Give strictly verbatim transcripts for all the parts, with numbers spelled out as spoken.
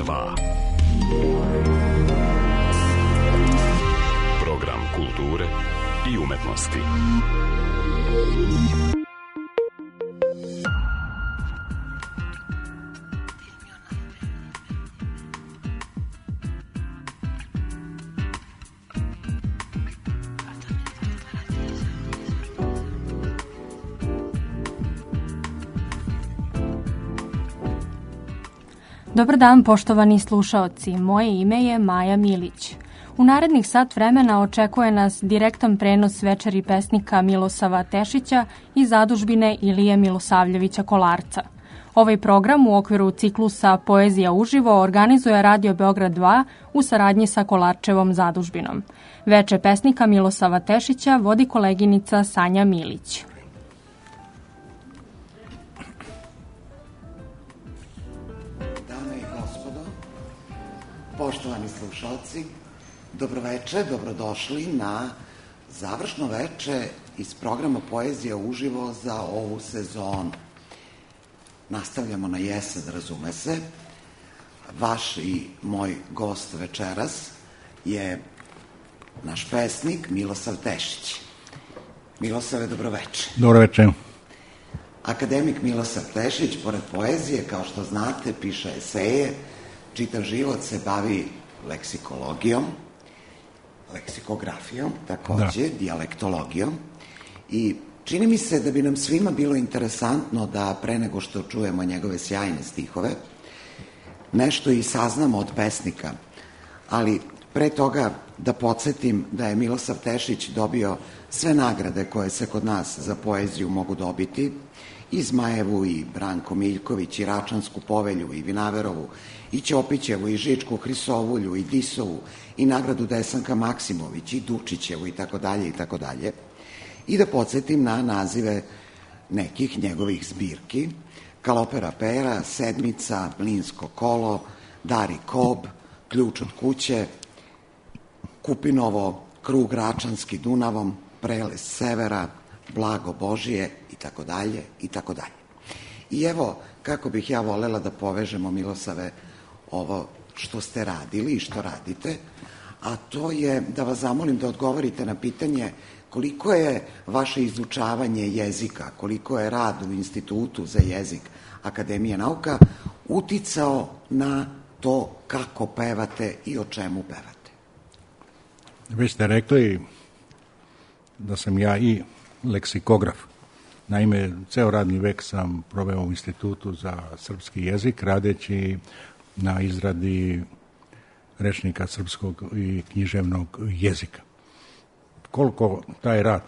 dva. Program kulture i umetnosti. Dobar dan, poštovani slušaoci. Moje ime je Maja Milić. U narednih sat vremena očekuje nas direktan prenos večeri pesnika Milosava Tešića i zadužbine Ilije Milosavljevića Kolarca. Ovaj program u okviru ciklusa Poezija uživo organizuje Radio Beograd dva u saradnji sa Kolarčevom zadužbinom. Veče pesnika Milosava Tešića vodi koleginica Sanja Milić. Poštovani slušalci, dobroveče, dobrodošli na završno veče iz programa Poezija uživo za ovu sezonu. Nastavljamo na jesen, razume se. Vaš i moj gost večeras je naš pesnik Milosav Tešić. Milosave, dobroveče. Dobroveče. Akademik Milosav Tešić, pored poezije, kao što znate, piše eseje, čitav život se bavi leksikologijom, leksikografijom, takođe, da. dijalektologijom. I čini mi se da bi nam svima bilo interesantno da pre nego što čujemo njegove sjajne stihove, nešto i saznamo od pesnika. Ali pre toga da podsjetim da je Milosav Tešić dobio sve nagrade koje se kod nas za poeziju mogu dobiti, i Zmajevu, i Branko Miljković, i Račansku povelju, i Vinaverovu, i Ćopićevu, i Žičku Hrisovulju, i Disovu, i nagradu Desanka Maksimović, i Dučićevu, i tako dalje, i tako dalje. I da podsjetim na nazive nekih njegovih zbirki: Kalopera pera, Sedmica, Mlinsko kolo, Dari Kob, Ključ od kuće, Kupinovo, Krug Račanski Dunavom, Prelez severa, Blago Božije, i tako dalje, i tako dalje. I evo, kako bih ja volela da povežemo, Milosave, ovo što ste radili i što radite, a to je da vas zamolim da odgovorite na pitanje koliko je vaše izučavanje jezika, koliko je rad u Institutu za jezik Akademije nauka uticao na to kako pevate i o čemu pevate. Vi ste rekli da sam ja i leksikograf. Naime, ceo radni vek sam proveo u Institutu za srpski jezik, radeći na izradi rečnika srpskog i književnog jezika. Koliko taj rad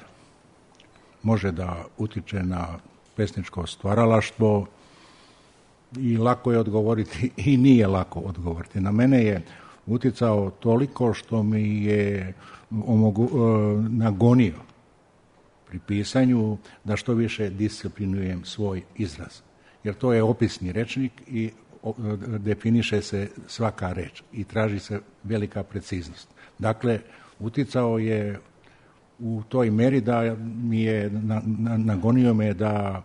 može da utiče na pesničko stvaralaštvo, i lako je odgovoriti i nije lako odgovoriti. Na mene je uticao toliko što mi je omogu, nagonio pri pisanju da što više disciplinujem svoj izraz. Jer to je opisni rečnik i definiše se svaka reč i traži se velika preciznost. Dakle, uticao je u toj meri da mi je na, na, nagonio me da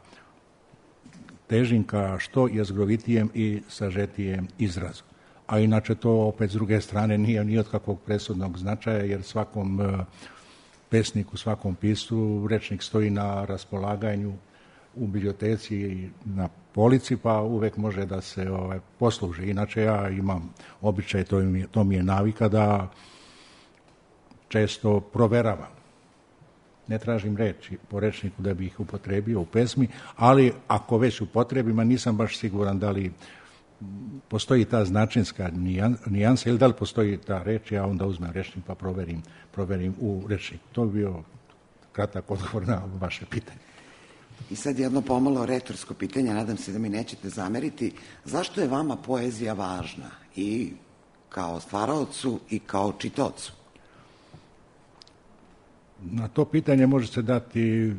težim ka što jezgrovitijem i sažetijem izrazu. A inače to opet s druge strane nije ni od kakvog presudnog značaja, jer svakom pesniku, svakom piscu rečnik stoji na raspolaganju u biblioteci i na polici, pa uvek može da se ovaj, posluži. Inače ja imam običaj, to mi, to mi je navika, da često proveravam. Ne tražim reči po rečniku da bih ih upotrebio u pesmi, ali ako već upotrebim, a nisam baš siguran da li postoji ta značinska nijansa ili da li postoji ta reč, ja onda uzmem rečnik pa proverim, proverim u rečniku. To bi bio kratak odgovor na vaše pitanje. I sad jedno pomalo retorsko pitanje, nadam se da mi nećete zameriti. Zašto je vama poezija važna i kao stvaraocu i kao čitaocu? Na to pitanje može se dati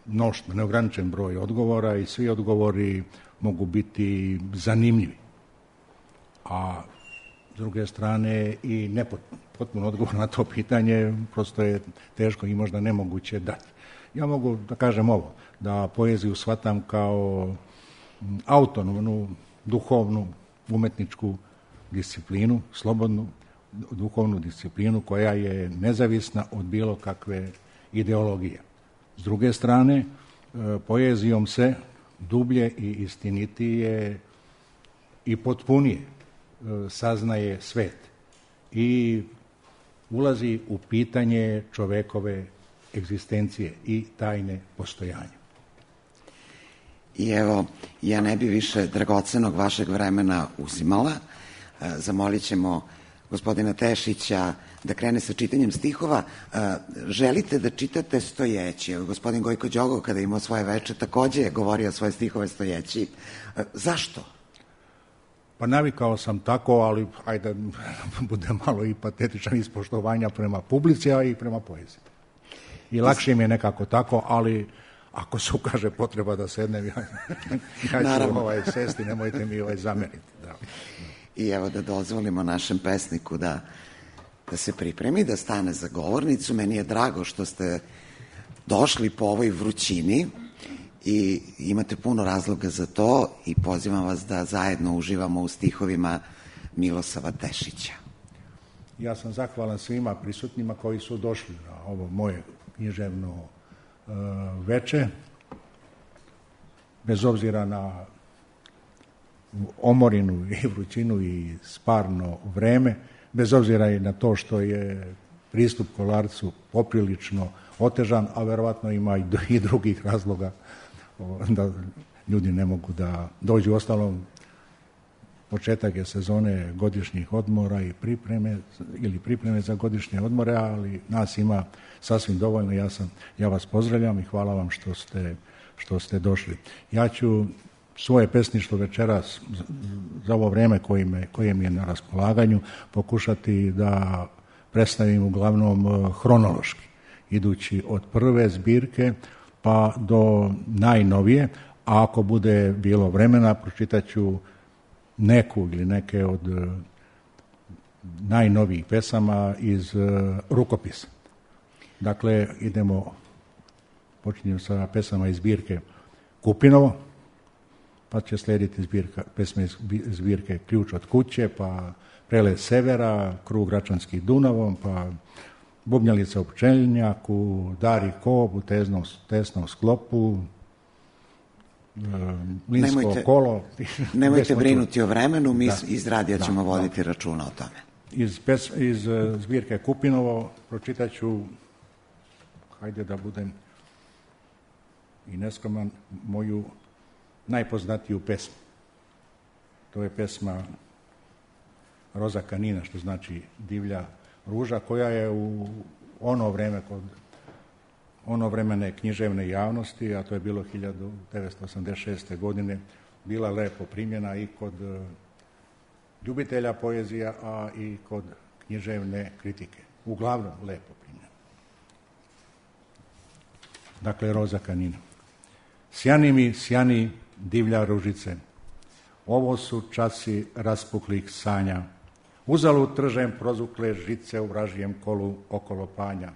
mnoštvo, neograničen broj odgovora i svi odgovori mogu biti zanimljivi. A s druge strane i nepotpuno odgovor na to pitanje prosto je teško i možda nemoguće dati. Ja mogu da kažem ovo, da poeziju shvatam kao autonomnu, duhovnu, umetničku disciplinu, slobodnu duhovnu disciplinu koja je nezavisna od bilo kakve ideologije. S druge strane, poezijom se dublje i istinitije i potpunije saznaje svet i ulazi u pitanje čovekove egzistencije i tajne postojanja. I evo, ja ne bi više dragocenog vašeg vremena uzimala. Zamolit ćemo gospodina Tešića da krene sa čitanjem stihova. Želite da čitate stojeći? Evo, gospodin Gojko Đogov, kada imao svoje veče, takođe je govorio svoje stihove stojeći. Zašto? Pa navikao sam tako, ali ajde bude malo i patetičan iz poštovanja prema publici, a i prema poeziji. I lakše mi je nekako tako, ali ako se ukaže potreba da sednem, ja, ja ću ovaj sesti, nemojte mi ovaj zameriti. Da. I evo da dozvolimo našem pesniku da, da se pripremi, da stane za govornicu. Meni je drago što ste došli po ovoj vrućini i imate puno razloga za to i pozivam vas da zajedno uživamo u stihovima Milosava Tešića. Ja sam zahvalan svima prisutnima koji su došli na ovo moje književno uh, veče, bez obzira na omorinu i vrućinu i sparno vreme, bez obzira i na to što je pristup Kolarcu poprilično otežan, a verovatno ima i drugih razloga da ljudi ne mogu da dođu. Ostalom, početak je sezone godišnjih odmora i pripreme ili pripreme za godišnje odmore, ali nas ima sasvim dovoljno. Ja sam, ja vas pozdravljam i hvala vam što ste, što ste došli. Ja ću svoje pesništvo večeras za ovo vreme koje, me, koje mi je na raspolaganju pokušati da predstavim uglavnom hronološki, idući od prve zbirke pa do najnovije, a ako bude bilo vremena pročitat ću neku ili neke od najnovijih pesama iz rukopisa. Dakle, idemo, počinjem sa pesama iz zbirke Kupinovo, pa će slediti zbirka, pesme iz zbirke Ključ od kuće, pa Prelet severa, Krug Račanski Dunavom, pa Bubnjalica u pčeljnjaku, Dari Kob u teznom, tesnom sklopu, Linsko nemojte, kolo. Nemojte brinuti o vremenu, mi da, iz radija da, ćemo voditi da. računa o tome. Iz, pes, iz zbirke Kupinovo pročitat ću, hajde da budem i neskroman, moju najpoznatiju pesmu. To je pesma Roza Kanina, što znači divlja ruža, koja je u ono vreme kod ono vremene književne javnosti, a to je bilo hiljadu devetsto osamdeset šeste. godine, bila lepo primjena i kod ljubitelja poezija, a i kod književne kritike. Uglavnom lepo primjena. Dakle, Roza Kanina. Sjani mi, sjani divlja ružice, ovo su časi raspuklih sanja, uzalud tržem prozukle žice u vražijem kolu okolo panja,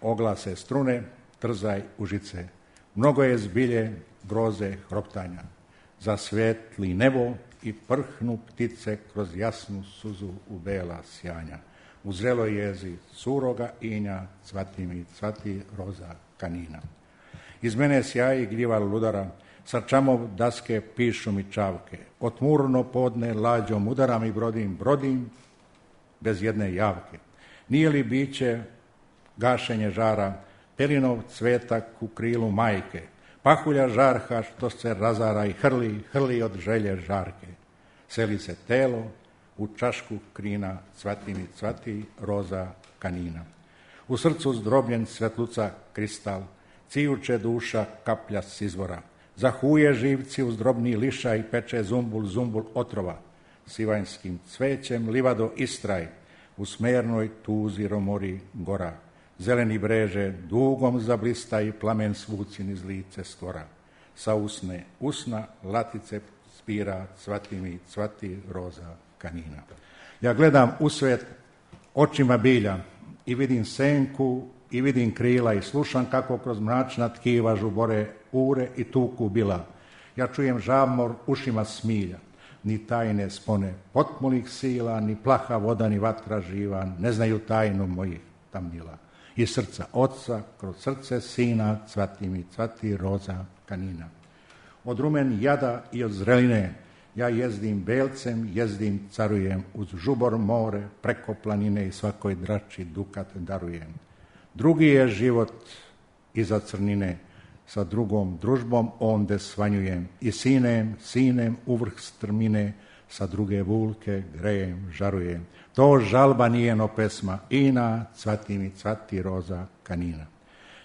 oglase strune, trzaj užice, mnogo je zbilje groze hroptanja, zasvetli nebo i prhnu ptice kroz jasnu suzu u bela sjanja, u zreloj jezi suroga inja, cvati mi, cvati Roza Kanina. Iz mene sjaji gljiva ludara, sa čamov daske pišu mi čavke, otmurno podne lađom udaram i brodim, brodim bez jedne javke. Nije li biće gašenje žara, pelinov cvetak u krilu majke, pahulja žarha što se razara i hrli, hrli od želje žarke. Seli se telo u čašku krina, cvati mi, cvati Roza Kanina. U srcu zdrobljen svetluca kristal, cijuče duša kaplja s izvora, zahuje živci uz drobni liša i peče zumbul, zumbul otrova, sivanjskim cvećem livado istraj, u smernoj tuzi romori gora, zeleni breže dugom zablista i plamen svucin iz lice skora, sa usne usna latice spira, cvati mi, cvati Roza Kanina. Ja gledam u svet očima bilja i vidim senku i vidim krila i slušam kako kroz mračna tkiva žubore ure i tuku bila. Ja čujem žamor ušima smilja. ni tajne spone potmulih sila, ni plaha voda, ni vatra živa, ne znaju tajnu mojih tamnila. Iz srca oca, kroz srce sina, cvati mi, cvati roza kanina. Od rumen jada i od zreline, ja jezdim belcem, jezdim, carujem, uz žubor more, preko planine i svakoj drači dukat darujem. Drugi je život iza crnine, sa drugom družbom onde svanjujem, i sinem, sinem uvrh strmine, sa druge vulke grejem, žarujem. To žalba nijeno pesma, ina, cvati mi, cvati roza kanina.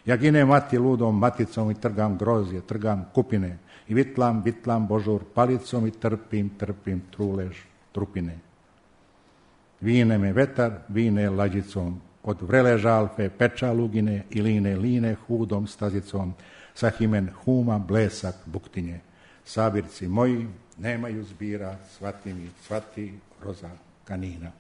Ja ginem mati ludom maticom i trgam grozje, trgam kupine, i vitlam, vitlam božur palicom i trpim, trpim trulež trupine. Vine me vetar, vine lađicom, od vrele žalfe peča lugine i line, line hudom stazicom, sa himen huma blesak buktinje. Sabirci moji nemaju zbira, cvati mi, cvati roza kanina.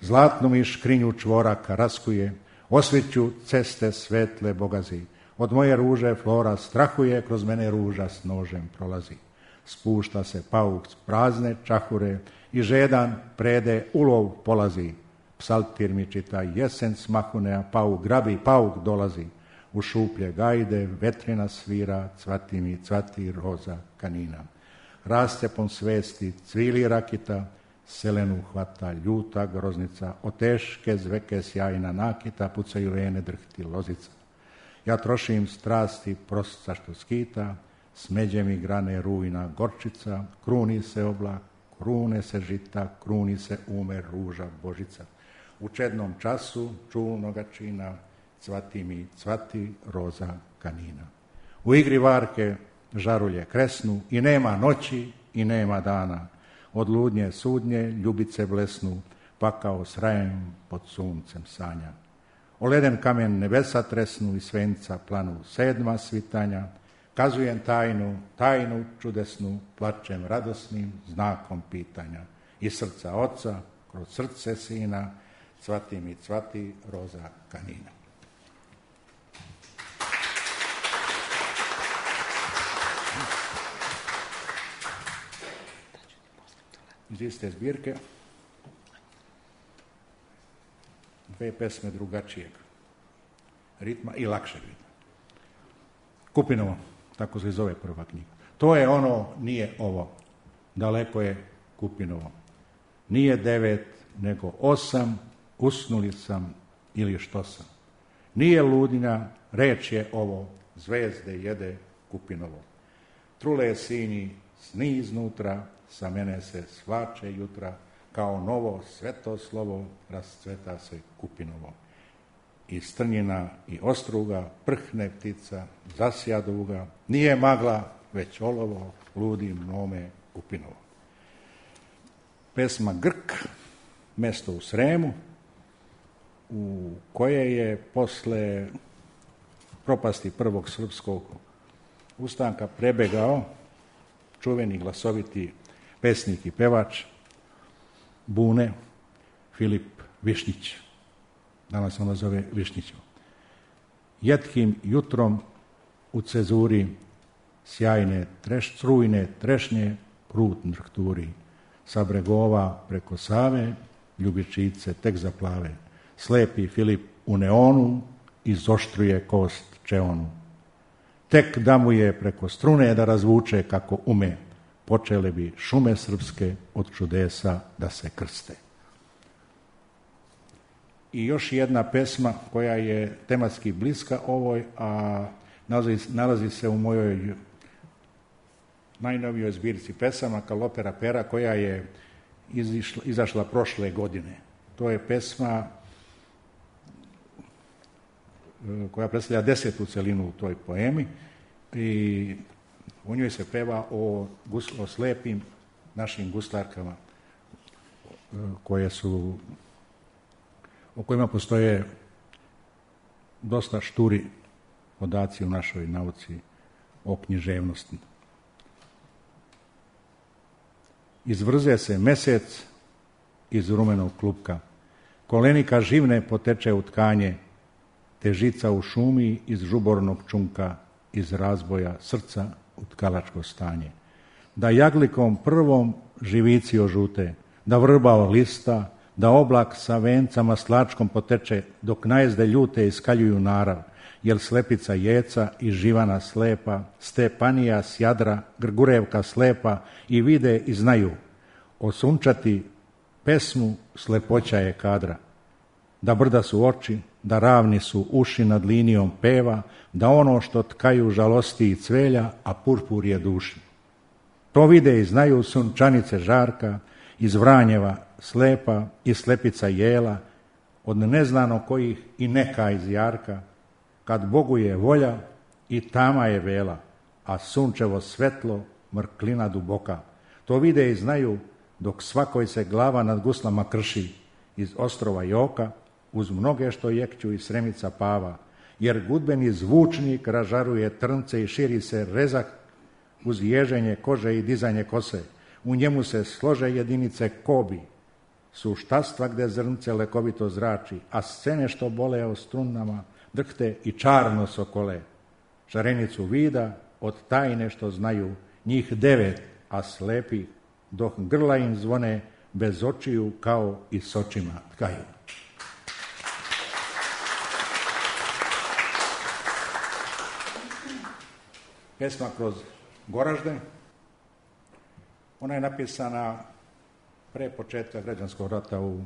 Zlatnu mi škrinju čvoraka raskuje, osveću ceste svetle bogazi. Od moje ruže flora strahuje, kroz mene ruža s nožem prolazi. Spušta se pauk s prazne čahure i žedan prede ulov polazi. Psaltir mi čita jesen smahune, a pauk grabi, pauk dolazi. U šuplje gajde vetrina svira, cvati mi, cvati roza kanina. Raste pon svesti, cvili rakita, selenu hvata ljuta groznica, od teške zveke sjajna nakita, pucaju vene drhti lozica. Ja trošim strasti prosca što skita, smeđe mi grane rujna gorčica, kruni se oblak, krune se žita, kruni se umer ruža božica. U čednom času čulnoga čina, cvati mi, cvati roza kanina. U igri varke žarulje kresnu i nema noći i nema dana. Od ludnje sudnje ljubice blesnu, pa kao srajem pod suncem sanja. O leden kamen nebesa tresnu i svenca planu sedma svitanja. Kazujem tajnu, tajnu čudesnu, plačem radosnim znakom pitanja. Iz srca oca, kroz srce sina, cvati mi, cvati roza kanina. Iz iste zbirke dve pesme drugačijeg ritma i lakšeg ritma. Kupinovo, tako se zove prva knjiga. To je ono, nije ovo, daleko je Kupinovo. Nije devet, nego osam, usnuli sam ili što sam. Nije ludinja, reč je ovo, zvezde jede Kupinovo. Trule sinji, sni iznutra, sa mene se svače jutra, kao novo sveto slovo rascveta se Kupinovo. I strnjina i ostruga, prhne ptica, zasja duga, nije magla, već olovo, ludi mome Kupinovo. Pesma Grk, mesto u Sremu, u koje je posle propasti prvog srpskog ustanka prebegao čuveni glasoviti pesnik i pevač Bune Filip Višnjić. Danas on zove Višnjićom. Jetkim jutrom u cezuri sjajne treš, strujne trešnje prut drhturi. Sa bregova preko Save ljubičice tek zaplave. Slepi Filip u neonu izoštruje kost čeonu. Tek da mu je preko strune da razvuče kako ume, počele bi šume srpske od čudesa da se krste. I još jedna pesma koja je tematski bliska ovoj, a nalazi, nalazi se u mojoj najnovijoj zbirci pesama Kalopera pera, koja je izišla, izašla prošle godine. To je pesma koja predstavlja desetu celinu u toj poemi i u njoj se peva o, o slepim našim guslarkama koje su, o kojima postoje dosta šturi podaci u našoj nauci o književnosti. Izvrze se mesec iz rumenog klupka, kolenika živne poteče u tkanje, težica u šumi iz žubornog čunka, iz razboja srca u tkalačko stanje. Da jaglikom prvom živici ožute, da vrba lista, da oblak sa vencama slačkom poteče, dok najezde ljute iskaljuju narav, jel slepica jeca i živana slepa, Stepanija s Jadra, Grgurevka slepa i vide i znaju, osunčati pesmu slepoća je kadra. Da brda su oči, da ravni su uši nad linijom peva, da ono što tkaju žalosti i cvelja, a purpur je duši. To vide i znaju sunčanice Žarka, iz Vranjeva slepa i slepica Jela, od neznano kojih i neka iz Jarka, kad Bogu je volja i tama je vela, a sunčevo svetlo mrklina duboka. To vide i znaju dok svakoj se glava nad guslama krši, iz ostrova Joka, uz mnoge što jekću i Sremica Pava, jer gudbeni zvučnik ražaruje trnce i širi se rezak uz ježenje kože i dizanje kose. U njemu se slože jedinice kobi, suštastva gde zrnce lekovito zrači, a scene što bole o strunama drhte i čarno sokole. Šarenicu vida od tajne što znaju, njih devet, a slepi, dok grla im zvone, bez očiju kao i s očima tkaju. Pesma kroz Goražde, ona je napisana pre početka građanskog rata u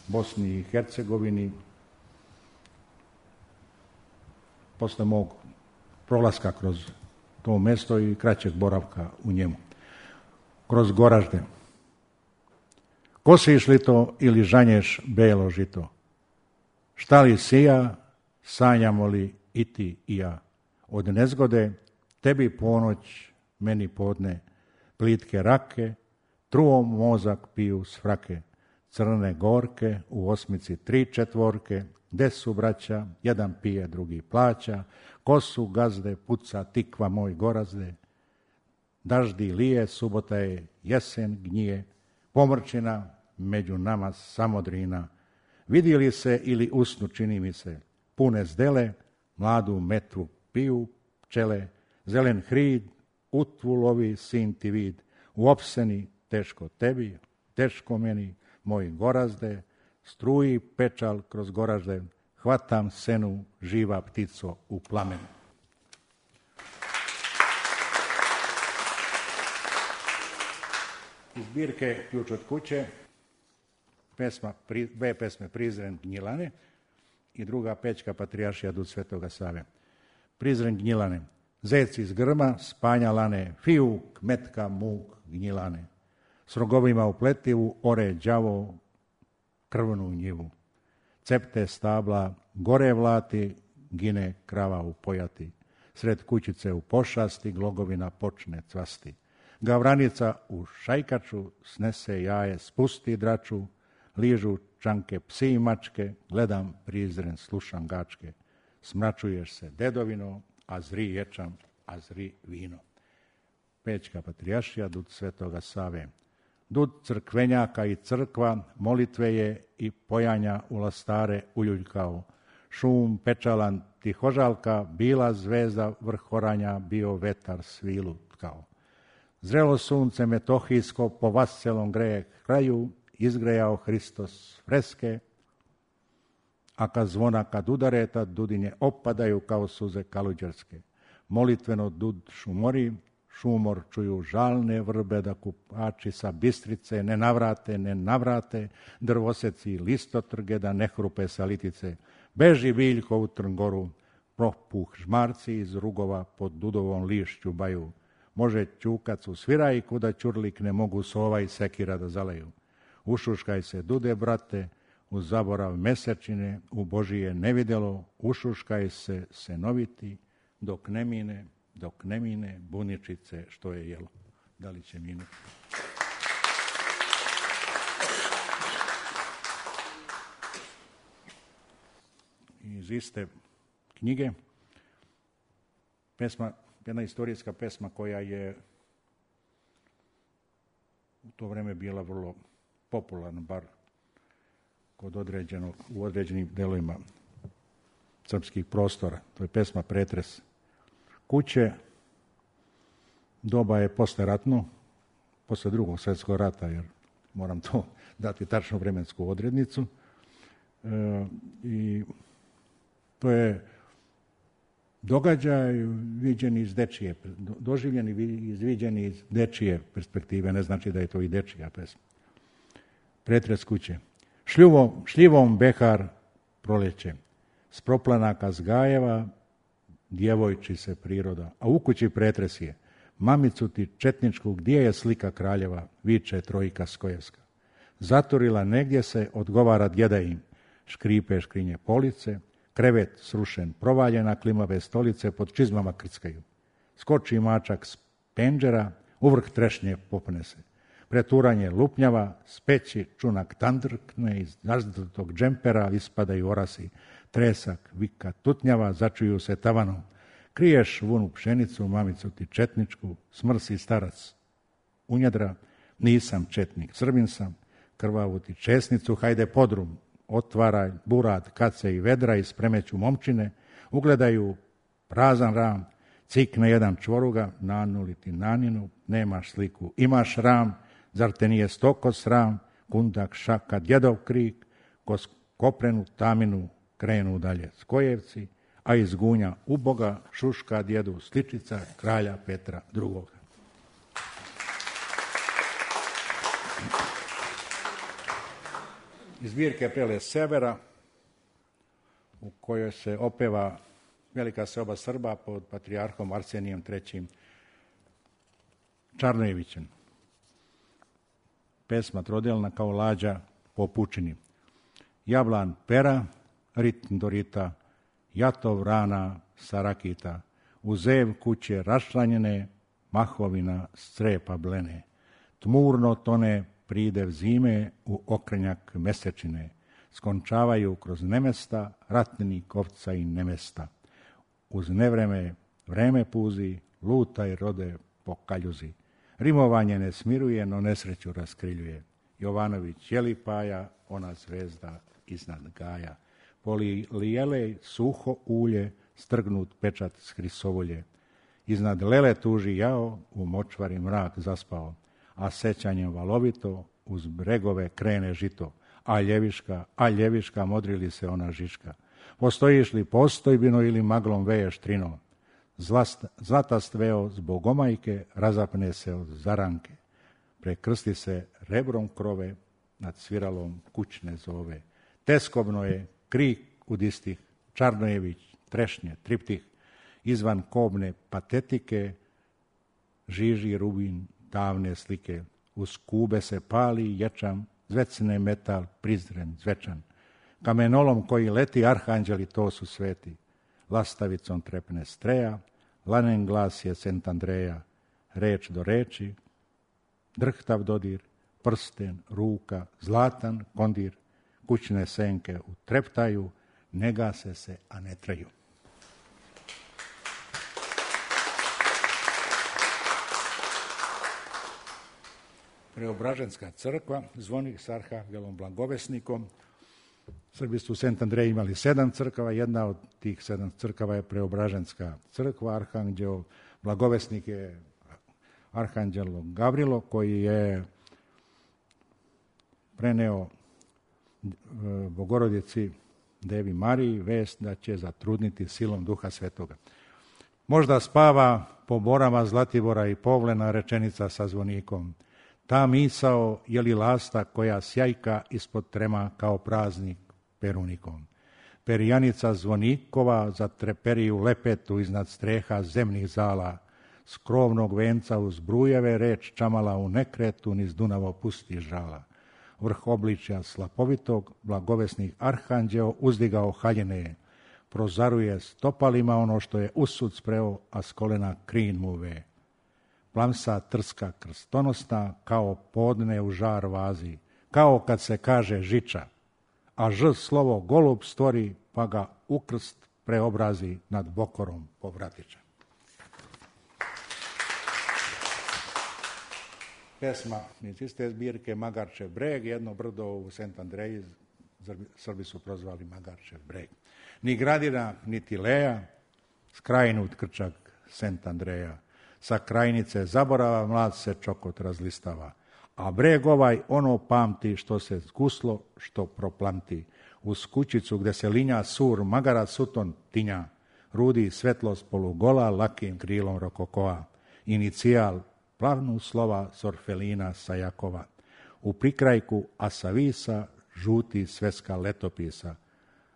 Bosni i Hercegovini, posle mog prolaska kroz to mesto i kraćeg boravka u njemu. Kroz Goražde. Kosiš li to ili žanješ belo žito? Šta li sija, sanjamo li i ti i ja? Od nezgode tebi ponoć, meni podne, plitke rake, truom mozak piju s frake, crne gorke, u osmici tri četvorke, gde su braća, jedan pije, drugi plaća, kosu gazde, puca tikva moj Gorazde, daždi lije, subota je, jesen gnjije, pomrčina, među nama samodrina, vidi li se ili usnu čini mi se, pune zdele, mladu metvu piju pčele, zelen hrid, utvu lovi sin ti vid, u opseni, teško tebi, teško meni, moj Gorazde, struji pečal kroz Goražde, hvatam senu, živa ptico u plamenu. Iz zbirke Ključ od kuće, pesma, dve pesme Prizren Gnjilane i druga Pećka patrijaršija Dud Svetoga Save. Prizren Gnjilane, zec iz grma, spanja lane, fijuk, metka, muk, gnjilane. S rogovima u pletivu, ore đavo, krvnu njivu. Cepte stabla, gore vlati, gine krava u pojati. Sred kućice u pošasti, glogovina počne cvasti. Gavranica u šajkaču, snese jaje, spusti draču, ližu čanke psi i mačke, gledam Prizren, slušam gačke. Smračuješ se dedovino, a zri ječam, a zri vino. Pećka patrijaršija Dud Svetoga Save. Dud crkvenjaka i crkva, molitve je i pojanja u lastare uljuljkao. Šum pečalan tihožalka, bila zvezda vrhoranja, bio vetar svilu tkao. Zrelo sunce metohijsko po vascelom greje kraju, izgrejao Hristos freske, a kad zvona kad udare, tad dudinje opadaju kao suze kaluđerske. Molitveno dud šumori, šumor čuju žalne vrbe, da kupači sa Bistrice ne navrate, ne navrate, drvoseci listotrge, da ne hrupe sa litice. Beži biljko u Trngoru, propuh žmarci iz rugova pod dudovom lišću baju. Može ćukac u svirajku, da ćurlik ne mogu sova i sekira da zaleju. Ušuškaj se dude, brate, u zaborav mesečine, u Božije nevidelo, ušuškaj se senoviti, dok ne mine, dok ne mine buničice što je jelo. Da li će minuti? Iz iste knjige, pesma, jedna istorijska pesma koja je u to vreme bila vrlo popularna, bar kod određenog, u određenim delovima srpskih prostora. To je pesma Pretres. Kuće, doba je posleratno, posle drugog svjetskog rata, jer moram to dati tačnu vremensku odrednicu. E, I to je događaj viđen iz dečije, doživljeni i viđeni iz dečije perspektive, ne znači da je to i dečija pesma. Pretres kuće. Šljivom, šljivom behar proleće, s proplanaka zgajeva, djevojči se priroda, a u kući pretres je. Mamicu ti četničku, gdje je slika kraljeva, viče trojka Skojevska. Zaturila negdje se, odgovara djeda im, škripe škrinje police, krevet srušen, provaljena klimave stolice pod čizmama krckaju. Skoči mačak s penđera, uvrh trešnje popne se. Preturanje lupnjava, s peći čunak tandrkne, iz nazdrtog džempera ispadaju orasi. Tresak, vika, tutnjava, začuju se tavanom. Kriješ vunu pšenicu, mamicu ti četničku, smrsi starac unjedra, nisam četnik, Srbin sam, krvavu ti česnicu, hajde podrum, otvaraj burad, kace i vedra i spremeću momčine, ugledaju prazan ram, cikne jedan čvoruga, nanuli ti naninu, nemaš sliku, imaš ram, zar te nije stoko sram, kundak, šaka, djedov krik, kos koprenu taminu krenu dalje Skojevci, a iz gunja uboga šuška djedu sličica kralja Petra drugoga. Iz zbirke Prele severa, u kojoj se opeva velika seoba Srba pod patrijarhom Arsenijem trećim Čarnojevićem. Pesma trodelna kao lađa po pučini. Jablan pera, ritm dorita, jatov rana sarakita, u zev kuće rašlanjene, mahovina strepa blene. Tmurno tone pridev zime u okrenjak mesečine, skončavaju kroz nemesta ratni kovca i nemesta. Uz nevreme vreme puzi, lutaj rode po kaljuzi. Rimovanje ne smiruje, no nesreću raskriljuje. Jovanović jelipaja, ona zvezda iznad gaja. Polijelej suho ulje, strgnut pečat s hrisovolje. Iznad lele tuži jao, u močvari mrak zaspao, a sećanjem valovito uz bregove krene žito. A ljeviška, a ljeviška, modrili se ona žiška. Postojiš li postojbino ili maglom veješ trino? Zlast, zlatast veo zbog omajke, razapne se od zaranke. Prekrsti se rebrom krove, nad sviralom kućne zove. Teskobno je krik udistih, Čarnojević, trešnje, triptih, izvan kobne patetike, žiži rubin davne slike. Uz kube se pali ječam, zvecne metal, prizren, zvečan. Kamenolom koji leti, arhanđeli to su sveti. Lastavicom trepne streja, lanen glas je Sent Andreja. Reč do reči, drhtav dodir, prsten, ruka, zlatan kondir. Kućne senke utreptaju, ne gase se, a ne traju. Preobraženska crkva, zvonik s arhangelom Blagovesnikom. Srbi su u Sent Andreji imali sedam crkava, jedna od tih sedam crkava je Preobraženska crkva. Arhanđel Blagovesnik je arhanđelo Gavrilo, koji je preneo Bogorodici Devi Mariji vest da će zatrudniti silom Duha Svetoga. Možda spava po borama Zlatibora i Povlena rečenica sa zvonikom. Ta misao je li lasta koja sjajka ispod trema kao praznik perunikom. Perjanica zvonikova zatreperiju lepetu iznad streha zemnih zala. S krovnog venca uz brujeve reč čamala u nekretu niz Dunavo pusti žala. Vrh obličja slapovitog, blagovesnih arhanđeo uzdigao haljene. Prozaruje stopalima ono što je usud spreo, a s kolena krin mu ve. Plamsa trska krstonosna, kao podne u žar vazi, kao kad se kaže žiča, a ž slovo golub stvori, pa ga u krst preobrazi nad bokorom povratiča. Pesma iz iste zbirke Magarčev breg, jedno brdo u Sent Andreji, Srbi su prozvali Magarčev breg. Ni Gradina, niti Leja, skrajnut krčak Sent Andreja. Sa krajnice zaborava mlad se čokot razlistava, a breg ovaj ono pamti što se zguslo, što proplamti. Uz kućicu gde se linja sur, magarac suton tinja, rudi svetlost polugola lakim krilom rokokoa, inicijal plavnu slova sorfelina sa Jakova. U prikrajku asavisa žuti sveska letopisa,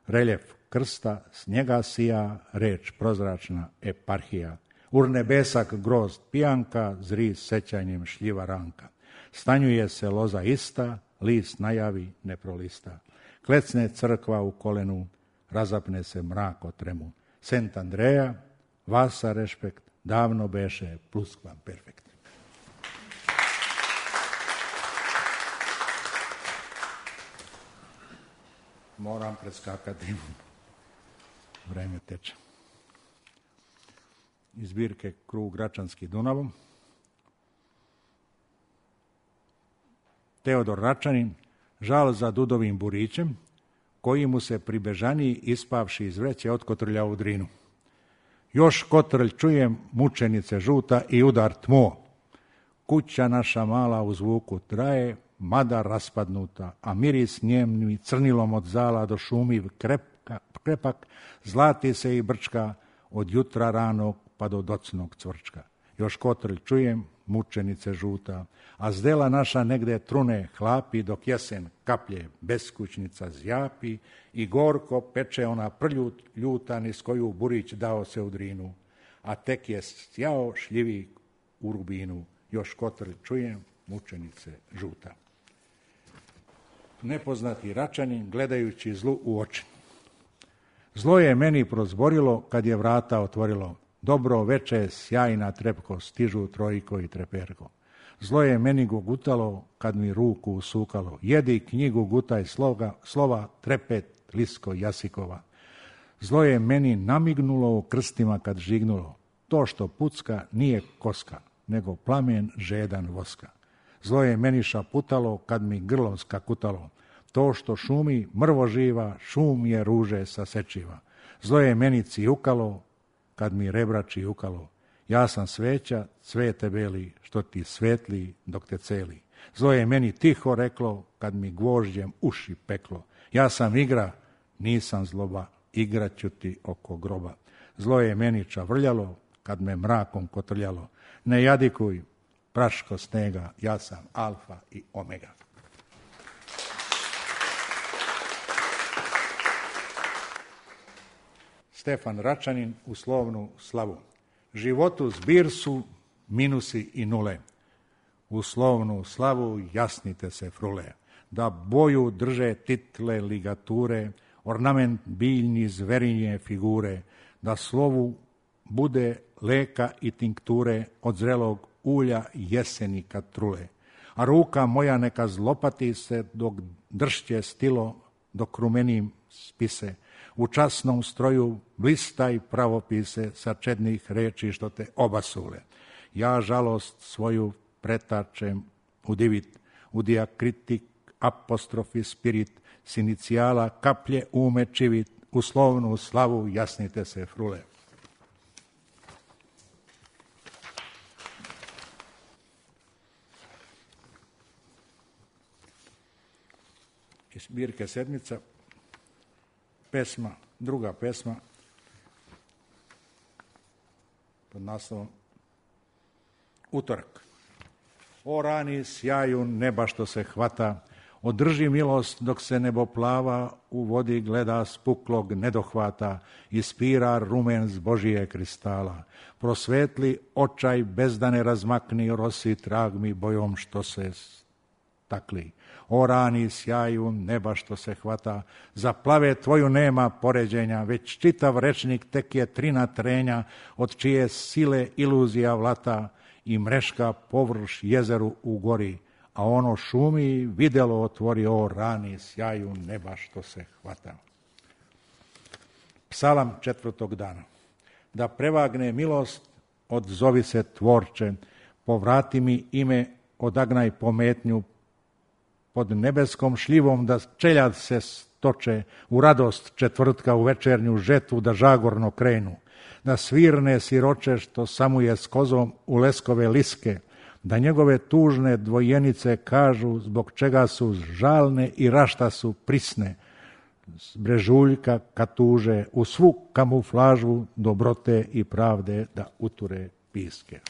reljef krsta, s njega sija reč prozračna eparhija. Urnebesak grozd pijanka, zri sećanjem šljiva ranka. Stanjuje se loza ista, list najavi ne prolista. Klecne crkva u kolenu, razapne se mrak o tremu. Sent Andreja, vasa rešpekt, davno beše pluskvam perfekt. Moram preskakati. Vreme teče. Iz zbirke Krug Račanski Dunavom. Teodor Račanin, žal za Dudovim burićem, koji mu se pri bežaniji ispavši iz vreće otkotrlja u drinu. Još kotrlj čujem, mučenice žuta i udar tmo. Kuća naša mala u zvuku traje, mada raspadnuta, a miris njemni crnilom od zala do šumiv krepka, krepak, zlati se i brčka od jutra ranog pa do docnog cvrčka. Još kotrlj čujem, mučenice žuta, a zdela naša negde trune hlapi, dok jesen kaplje beskućnica zjapi i gorko peče ona prljut ljuta niz koju Burić dao se u drinu, a tek je sjao šljivi u rubinu. Još kotrlj čujem, mučenice žuta. Nepoznati Račanin gledajući zlu u oči. Zlo je meni prozborilo kad je vrata otvorilo. Dobro veče, sjajna trepko, stižu trojko i treperko. Zlo je meni gugutalo kad mi ruku usukalo. Jedi knjigu, gutaj sloga, slova, trepet, lisko, jasikova. Zlo je meni namignulo u krstima kad žignulo. To što pucka nije koska, nego plamen žedan voska. Zlo je meni šaputalo kad mi grlom skakutalo. To što šumi mrvo živa, šum je ruže sa sečiva. Zlo je meni cijukalo kad mi rebra čijukalo. Ja sam sveća, cvete beli, što ti svetli dok te celi. Zlo je meni tiho reklo kad mi gvožđem uši peklo. Ja sam igra, nisam zloba, igraću ti oko groba. Zlo je meni čavrljalo kad me mrakom kotrljalo. Ne jadikuj, praško snega, ja sam alfa i omega. Stefan Račanin u slovnu slavu. Životu zbir su minusi i nule. U slovnu slavu jasnite se frule. Da boju drže title ligature, ornament biljni zverinje figure, da slovu bude leka i tinkture od zrelog ulja jeseni kad trule. A ruka moja neka zlopati se dok dršće stilo, dok rumenim spise. U časnom stroju blistaj pravopise sa čednih reči što te obasule. Ja žalost svoju pretačem u divit, u diakritik, apostrofi spirit, s inicijala kaplje ume čivit, u slovnu slavu jasnite se frule. Iz zbirke Sedmica, pesma, druga pesma pod naslovom Utorak. O rani sjaju neba što se hvata, održi milost dok se nebo plava, u vodi gleda spuklog nedohvata, ispira rumen z Božije kristala. Prosvetli očaj bezdane razmakni, rosi trag mi bojom što se stakli. O rani sjaju neba što se hvata, za plave tvoju nema poređenja, već čitav rečnik tek je trina trenja, od čije sile iluzija vlata i mreška površ jezeru u gori, a ono šumi videlo otvori, o rani sjaju neba što se hvata. Psalam četvrtog dana. Da prevagne milost, odzovi se tvorče, povrati mi ime, odagnaj pometnju, pod nebeskom šljivom da čeljad se stoče, u radost četvrtka u večernju žetvu da žagorno krenu. da svirne siroče što samuje s kozom u leskove liske, da njegove tužne dvojenice kažu zbog čega su žalne i rašta su prisne, s brežuljka kad tuže u svu kamuflažu dobrote i pravde da uture piske.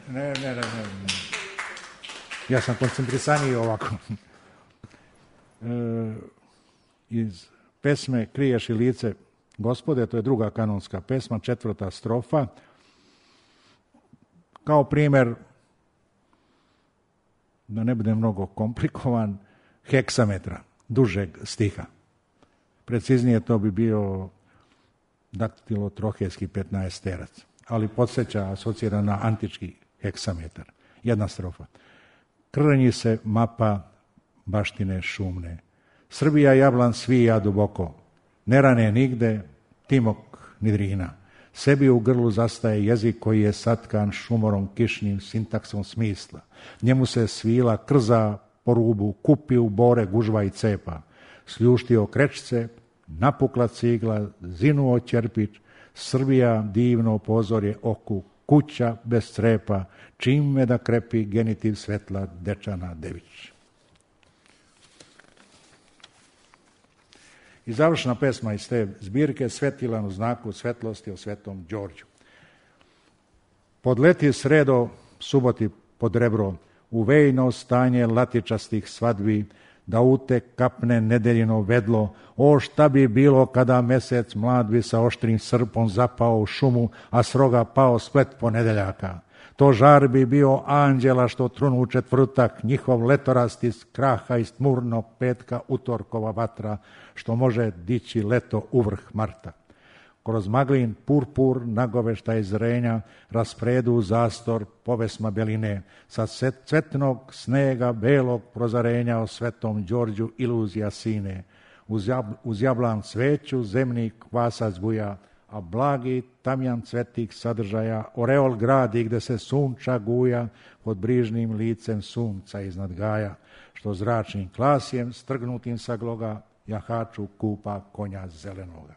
Ne, ne, ne, ne. Ja sam koncentrisaniji ovako. E, iz pesme Kriješ i lice Gospode, to je druga kanonska pesma, četvrta strofa. Kao primjer, da ne bude mnogo komplikovan, heksametra, dužeg stiha. Preciznije to bi bio daktilotrohejski petnaesterac, ali podsjeća, asocira na antički heksametar. Jedna strofa. Krnji se mapa baštine šumne. Srbija jablan svija duboko. Ne rane nigde, timok ni drina. Sebi u grlu zastaje jezik koji je satkan šumorom kišnim sintaksom smisla. Njemu se svila krza po rubu, kupi u bore gužva i cepa. Sljuštio krečce, napukla cigla, zinuo ćerpić, Srbija divno pozorje oku, kuća bez crepa, čime da krepi genitiv svetla Dečana Dević. I završna pesma iz te zbirke Svetilan u znaku svetlosti o Svetom Đorđu. Podleti sredo, suboti pod rebro, u vejno stanje latičastih svadbi, da ute kapne nedeljino vedlo, o šta bi bilo kada mesec mlad bi sa oštrim srpom zapao u šumu, a s roga pao splet ponedeljaka. To žar bi bio anđela što trunu u četvrtak, njihov letorast iz kraha iz tmurnog petka, utorkova vatra, što može dići leto uvrh marta. Kroz maglin purpur nagovešta iz zrenja, raspredu zastor povesma beline, sa cvetnog snega belog prozarenja o Svetom Đorđu iluzija sine. Uz, jab, uz jablan cveću zemni kvasac buja, a blagi tamjan cvetik sadržaja, oreol gradi gde se sunča guja, pod brižnim licem sunca iznad gaja, što zračnim klasjem strgnutim sa gloga, jahaču kupa konja zelenoga.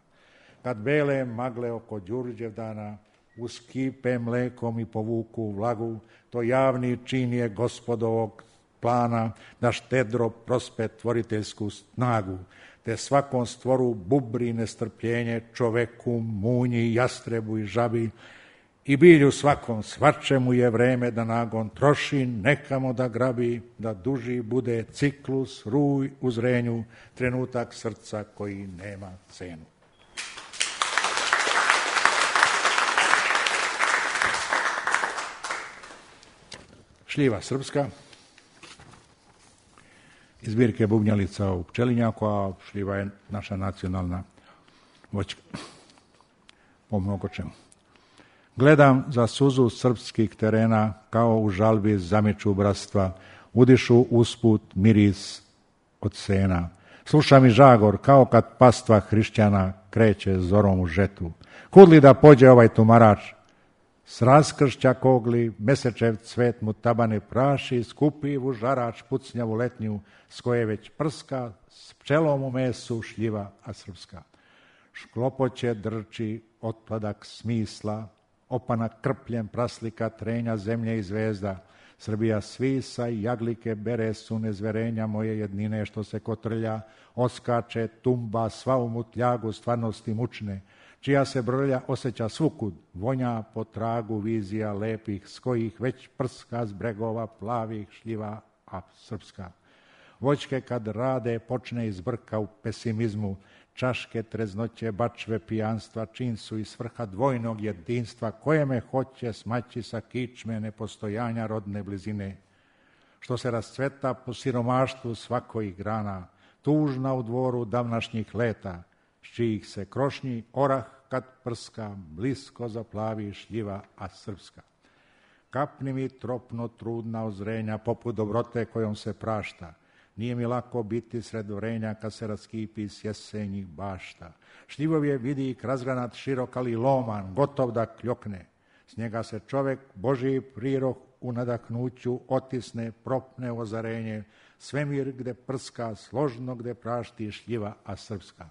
Kad bele magle oko Đurđevdana uskipe mlekom i povuku vlagu, to javni čin je gospodovog plana da štedro prospe tvoriteljsku snagu, te svakom stvoru bubri nestrpljenje, čoveku, munji, jastrebu i žabi, i bilju svakom, svačemu je vreme da nagon troši, nekamo da grabi, da duži bude ciklus, ruj u zrenju, trenutak srca koji nema cenu. Šljiva srpska, iz zbirke Bubnjalica u Pčelinjaku, a šljiva je naša nacionalna voćka po mnogo čemu. Gledam za suzu srpskih terena, kao u žalbi zamiču bratstva, udišu usput miris od sena. Slušam i žagor, kao kad pastva hrišćana kreće zorom u žetu. Kud li da pođe ovaj tumarač? S raskršća kogli, mesečev cvet mu tabane praši, skupivu žarač pucnjavu letnju, s koje već prska, s pčelom u mesu šljiva, a srpska. Šklopoće drči otpadak smisla, opana krpljem praslika trenja zemlje i zvezda. Srbija svisa i jaglike bere su nezverenja moje jednine što se kotrlja, oskače, tumba, sva u mutljagu stvarnosti mučne, čija se brlja osjeća svukud, vonja po tragu vizija lepih, s kojih već prska s bregova plavih šljiva, a srpska. Voćke kad rade počne izbrka u pesimizmu, čaške treznoće, bačve pijanstva, čin su i svrha dvojnog jedinstva, koje me hoće smaći sa kičme nepostojanja rodne blizine. Što se rascveta po siromaštvu svakojih grana, tužna u dvoru davnašnjih leta, s čijih se krošnji orah kad prska, blisko zaplavi šljiva, a srpska. Kapni mi tropno trudna ozrenja, poput dobrote kojom se prašta. Nije mi lako biti sred vrenja kad se raskipi s jesenjih bašta. Šljivov je vidik razgranat širok, ali loman, gotov da kljokne. S njega se čovek, Božji prirok u nadahnuću otisne, propne ozarenje, svemir gde prska, složno gde prašti šljiva, a srpska.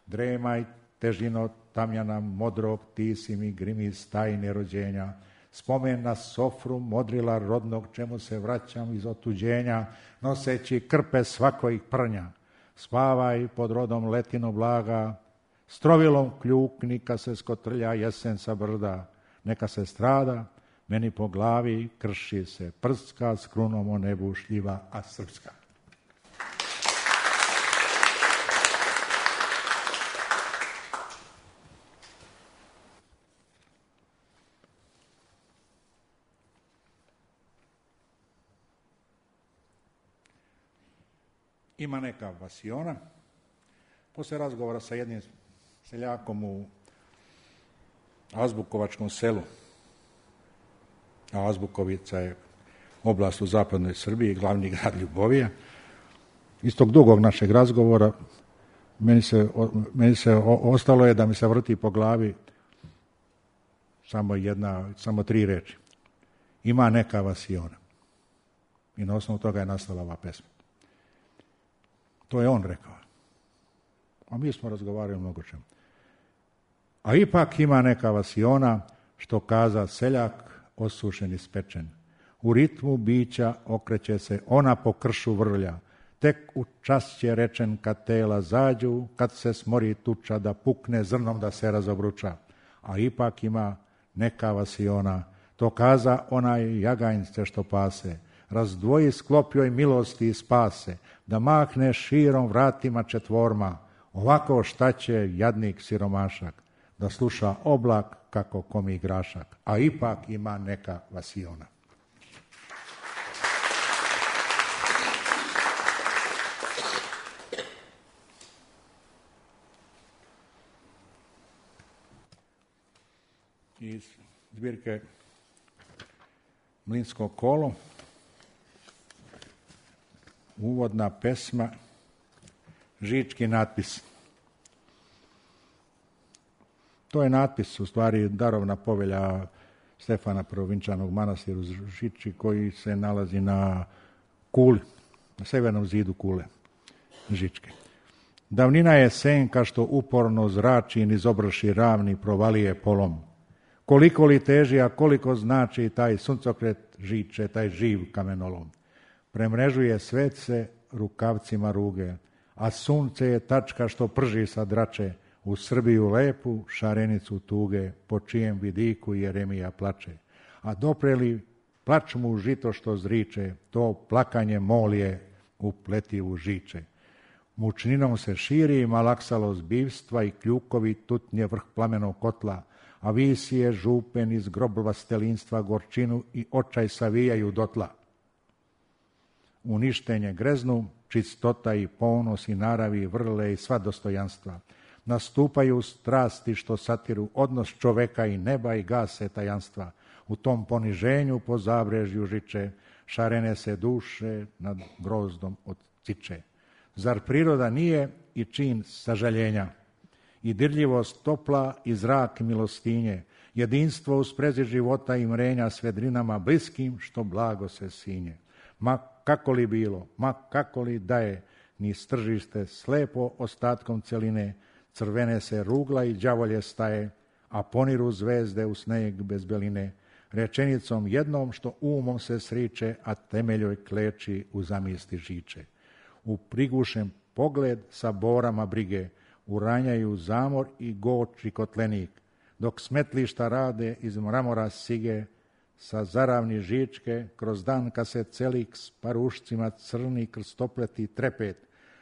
Dremaj, težino tamjana modrog, ti si mi grimis tajne rođenja. Spomen na sofru modrila rodnog, čemu se vraćam iz otuđenja, noseći krpe svakojih prnja. Spavaj pod rodom letino blaga, strovilom kljukni kad se skotrlja jesen sa brda. Neka se strada, meni po glavi krši se prska, s krunom o nebu šljiva, a srpska. Ima neka vasiona. Posle razgovora sa jednim seljakom u Azbukovačkom selu, a Azbukovica je oblast u zapadnoj Srbiji, glavni grad Ljubovija, iz tog dugog našeg razgovora meni se, meni se ostalo je da mi se vrti po glavi samo jedna, samo tri reči. Ima neka vasiona. I na osnovu toga je nastala ova pesma. To je on rekao. A mi smo razgovarali o mnogo čemu. A ipak ima neka vasiona, što kaza seljak, osušen i spečen. U ritmu bića okreće se ona po kršu vrlja. Tek u čas će rečen kad tela zađu, kad se smori tuča da pukne zrnom da se razobruča. A ipak ima neka vasiona, to kaza onaj jaganjce što pase. Razdvoji sklopjoj milosti i spase, da mahne širom vratima četvorma. Ovako šta će jadnik siromašak, da sluša oblak kako komi grašak, a ipak ima neka vasiona. Iz zbirke Mlinsko kolo, uvodna pesma, Žički natpis. To je natpis, u stvari, darovna povelja Stefana Prvovinčanog manastiru Žiči, koji se nalazi na kuli, na severnom zidu kule Žičke. Davnina je senka što uporno zrači niz obrši ravni provalije polom. Koliko li teži, a koliko znači taj suncokret Žiče, taj živ kamenolom. Premrežuje svece rukavcima ruge, a sunce je tačka što prži sa drače, u Srbiju lepu šarenicu tuge, po čijem vidiku Jeremija plače. A dopreli plač mu žito što zriče, to plakanje molje u pletivu žiče. Mučninom se širi malaksalo zbivstva i kljukovi tutnje vrh plamenog kotla, a visije župen iz grobova stelinstva gorčinu i očaj savijaju dotla. Uništenje greznu, čistota i ponos i naravi vrle i sva dostojanstva. Nastupaju strasti što satiru odnos čoveka i neba i gase tajanstva. U tom poniženju po zabrežju žiče, šarene se duše nad grozdom od ciče. Zar priroda nije i čin sažaljenja? I dirljivost topla i zrak milostinje, jedinstvo u sprezi života i mrenja s vedrinama bliskim što blago se sinje. Ma kako li bilo, ma kako li da je, ni stržište slepo ostatkom celine, crvene se rugla i đavolje staje, a poniru zvezde u sneg bez beline, rečenicom jednom što umom se sriče, a temeljoj kleči u zamisli žiče. U prigušen pogled sa borama brige, uranjaju zamor i goči kotlenik, dok smetlišta rade iz mramora sige, sa zaravni žičke, kroz dan kad se celik s parušcima crni krstopleti trepet,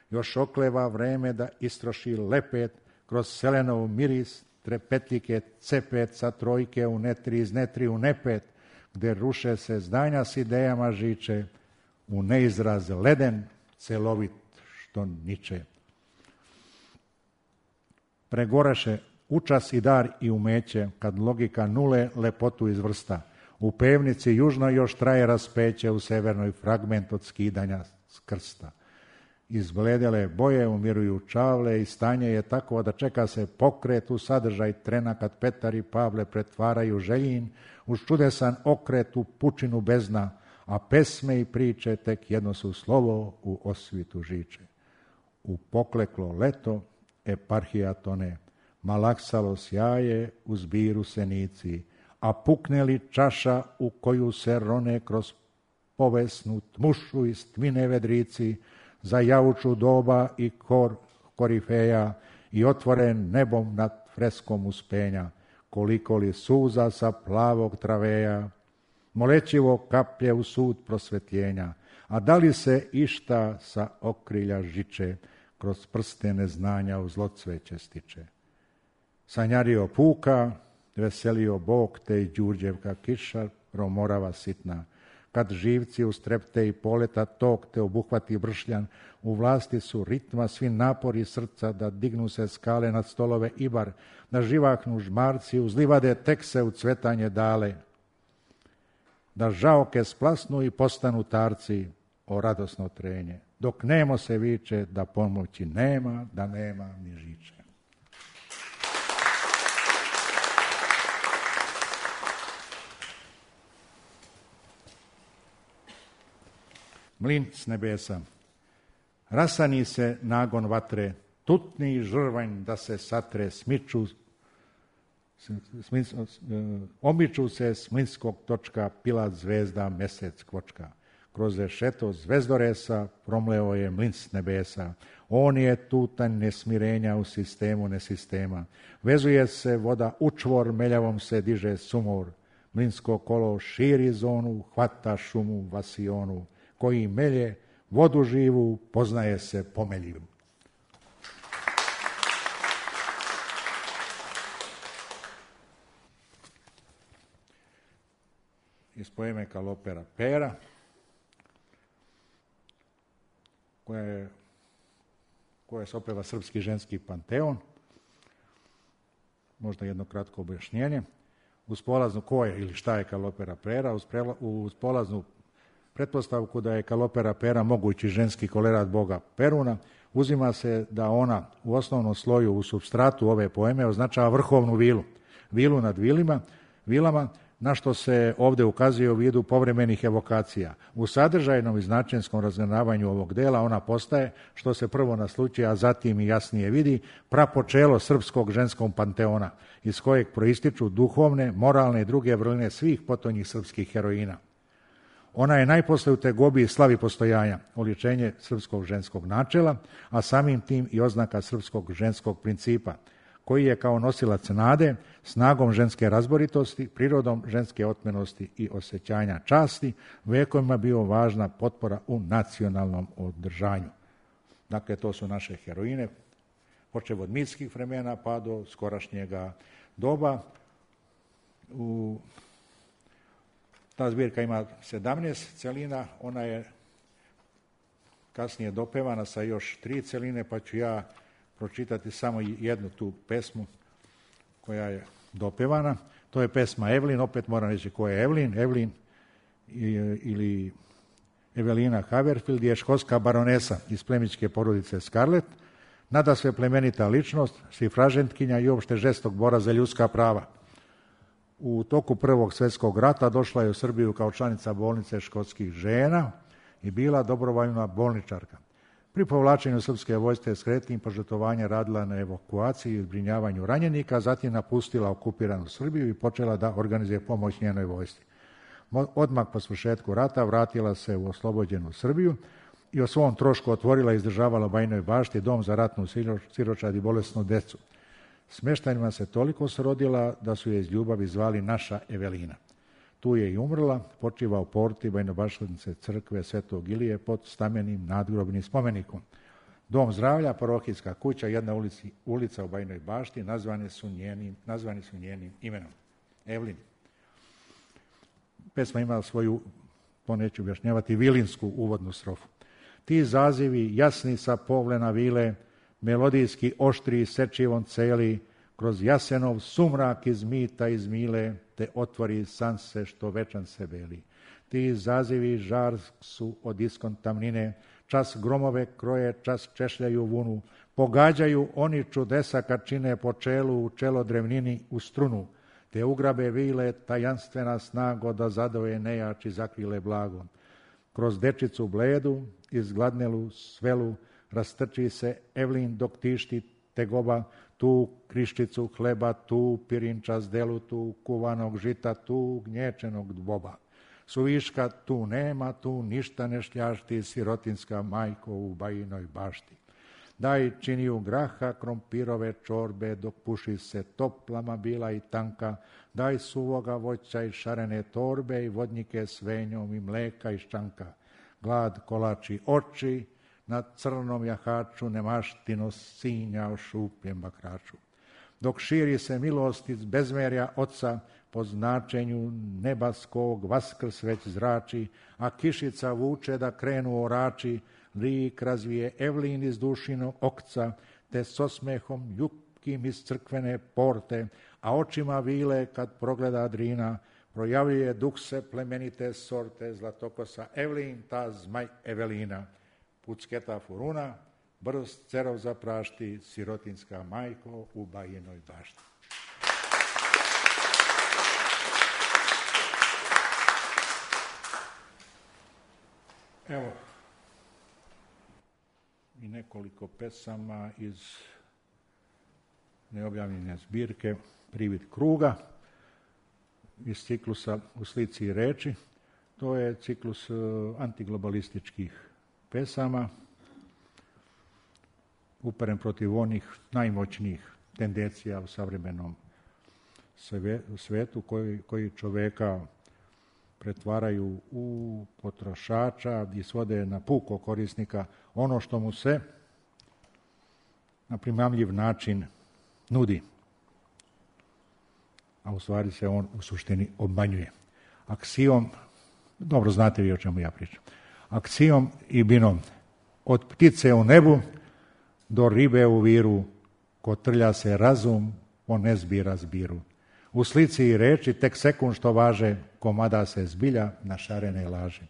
još okleva vreme da istroši lepet, kroz selenov miris trepetljike cepet sa trojke u netri iz netri u nepet, gde ruše se zdanja s idejama žiče, u neizraz leden, celovit što niče. Pregoraše učas i dar i umeće, kad logika nule lepotu izvrsta. U pevnici južno još traje raspeće, u severnoj fragment od skidanja s krsta. Izbledele boje umiruju čavle i stanje je tako da čeka se pokret u sadržaj trena kad Petar i Pavle pretvaraju željin uz čudesan okret u pučinu bezna, a pesme i priče tek jedno su slovo u osvitu žiče. U pokleklo leto eparhija tone, malaksalo sjaje u zbiru senici, a pukne li čaša u koju se rone kroz povesnu tmušu iz tmine vedrici, za jauču doba i kor korifeja i otvoren nebom nad freskom uspenja, koliko li suza sa plavog traveja, molećivo kaplje u sud prosvetljenja, a da li se išta sa okrilja žiče, kroz prste neznanja u zlocveće stiče. Sanjario puka, veselio Bog te i Đurđevka kiša, romorava sitna, kad živci ustrepte i poleta tok te obuhvati bršljan, u vlasti su ritma svi napori srca da dignu se skale nad stolove ibar, da živahnu žmarci uz livade tek se u cvetanje dale, da žaoke splasnu i postanu tarci, o radosno trenje, dok nemo se viče da pomoći nema, da nema ni žiče. Mlin s nebesa. Rasani se nagon vatre, tutni žrvanj da se satre, smiču, smis, omiču se s mlinskog točka, pilat zvezda, mesec kvočka. Kroz rešeto zvezdoresa promleo je mlin s nebesa. On je tutanj nesmirenja u sistemu nesistema. Vezuje se voda u čvor, meljavom se diže sumor. Mlinsko kolo širi zonu, hvata šumu vasionu. Koji melje vodu živu, poznaje se pomeljivu. Iz poeme Kalopera Pera, koja je, koja se opeva Srpski ženski panteon, možda jedno kratko objašnjenje. Uz polaznu ko je ili šta je Kalopera Pera, uz, prela, uz polaznu pretpostavku da je Kalopera Pera mogući ženski kolerat boga Peruna, uzima se da ona u osnovnom sloju u supstratu ove poeme označava vrhovnu vilu, vilu nad vilima, vilama, na što se ovdje ukazuje u vidu povremenih evokacija. U sadržajnom i značenskom razgranavanju ovog dela ona postaje, što se prvo nasluči, a zatim i jasnije vidi, prapočelo srpskog ženskog panteona, iz kojeg proističu duhovne, moralne i druge vrline svih potonjih srpskih heroina. Ona je najposle u tegobi i slavi postojanja, oličenje srpskog ženskog načela, a samim tim i oznaka srpskog ženskog principa, koji je kao nosilac nade, snagom ženske razboritosti, prirodom ženske otmenosti i osjećanja časti, vekovima bio važna potpora u nacionalnom održanju. Dakle, to su naše heroine, počev od mitskih vremena pa do skorašnjega doba. U Ta zbirka ima sedamnaest celina, ona je kasnije dopevana sa još tri celine, pa ću ja pročitati samo jednu tu pesmu koja je dopevana. To je pesma Evelin, opet moram reći ko je Evelin. Evelin ili Evelina Haverfield je škotska baronesa iz plemićke porodice Scarlett, nada sve plemenita ličnost, šifražentkinja i uopšte žestok bora za ljudska prava. U toku Prvog svjetskog rata došla je u Srbiju kao članica bolnice škotskih žena i bila dobrovoljna bolničarka. Pri povlačenju srpske vojske s kretnim požrtvovanja radila na evakuaciji i zbrinjavanju ranjenika, zatim napustila okupiranu Srbiju i počela da organizuje pomoć njenoj vojsci. Odmah po svršetku rata vratila se u oslobođenu Srbiju i o svom trošku otvorila i izdržavala u Bajinoj Bašti dom za ratnu siročad i bolesnu decu. Smeštajima se toliko srodila da su je iz ljubavi zvali naša Evelina. Tu je i umrla, počiva u porti Bajnobašnice crkve Svetog Ilije pod stamenim nadgrobnim spomenikom. Dom zdravlja, parohijska kuća, jedna ulici, ulica u Bajnoj Bašti nazvani su njenim, nazvani su njenim imenom. Evelin. Pesma ima svoju, to neću objašnjavati, vilinsku uvodnu strofu. Ti zazivi jasni sa povlena vile, melodijski oštri sečivom celi, kroz jasenov sumrak iz mita iz mile, te otvori sanse što večan se beli. Ti zazivi žar su od iskon tamnine, čas gromove kroje, čas češljaju vunu, pogađaju oni čudesa kad čine po čelu u čelo drevnini u strunu. te ugrabe vile tajanstvena snago da zadoje nejači zakrile blago. Kroz dečicu bledu, izgladnelu svelu, rastrči se Evlin dok tišti tegoba, tu kriščicu hleba, tu pirinča zdelu, tu kuvanog žita, tu gnječenog dvoba. Suviška tu nema, tu ništa ne šljašti, sirotinska majko u bajinoj bašti. Daj činiju graha, krompirove čorbe, dok puši se toplama bila i tanka. Daj suvoga voća i šarene torbe i vodnike s venjom i mleka i ščanka. Glad kolači oči, na crnom jahaču nemaštino sinja o šupljem bakraču. Dok širi se milost iz bezmerja oca, po značenju nebaskog vaskrs već zrači, a kišica vuče da krenu orači, lik razvije Evlin iz dušinog okca, te s osmehom ljubkim iz crkvene porte, a očima vile kad progleda Drina, projavljuje duh se plemenite sorte, zlatokosa Evlin, ta zmaj Evelina. Pucketa furuna, brz cerov zaprašti, sirotinska majko u bajinoj bašti. Evo i nekoliko pesama iz neobjavljene zbirke Privid kruga iz ciklusa U slici i reči. To je ciklus antiglobalističkih pesama uperen protiv onih najmoćnijih tendencija u savremenom svetu koji, koji čoveka pretvaraju u potrošača i svode na puko korisnika ono što mu se na primamljiv način nudi, a u stvari se on u suštini obmanjuje. Aksijom, dobro znate vi o čemu ja pričam, aksijom i binom, od ptice u nebu do ribe u viru, ko trlja se razum, on ne zbira zbiru. U slici i reči tek sekund što važe, komada se zbilja na šarene laže.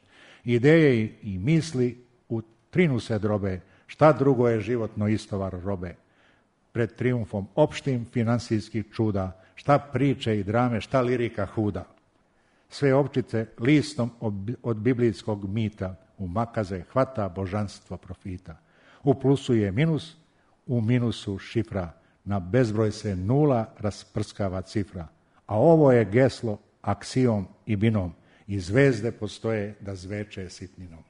Ideje i misli u trinu se drobe, šta drugo je životno istovar robe. Pred trijumfom opštim finansijskih čuda, šta priče i drame, šta lirika huda. Sve opčice listom od biblijskog mita, u makaze hvata božanstvo profita. U plusu je minus, u minusu šifra, na bezbroj se nula rasprskava cifra. A ovo je geslo aksijom i binom, i zvezde postoje da zveče sitninom.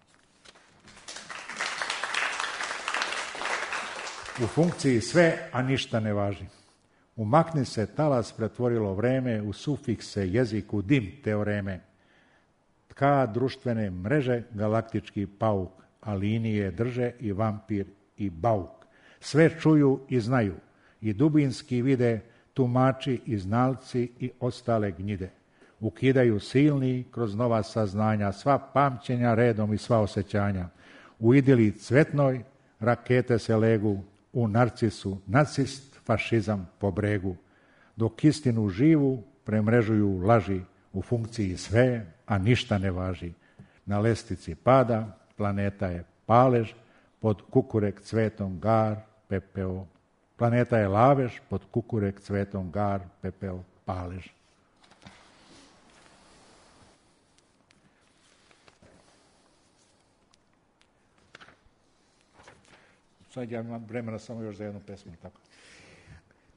U funkciji sve, a ništa ne važi. Umakni se talas pretvorilo vreme, u sufikse jeziku dim teoreme. Tka društvene mreže galaktički pauk, a linije drže i vampir i bauk. Sve čuju i znaju, i dubinski vide, tumači i znalci i ostale gnjide. Ukidaju silni kroz nova saznanja, sva pamćenja redom i sva osjećanja. U idili cvetnoj rakete se legu, u narcisu nacist, fašizam po bregu. Dok istinu živu premrežuju laži, u funkciji sve, a ništa ne važi. Na lestici pada, planeta je palež, pod kukurek cvetom gar, pepeo. Planeta je lavež, pod kukurek cvetom gar, pepeo, palež. Sad ja imam vremena samo još za jednu pesmu. Tako.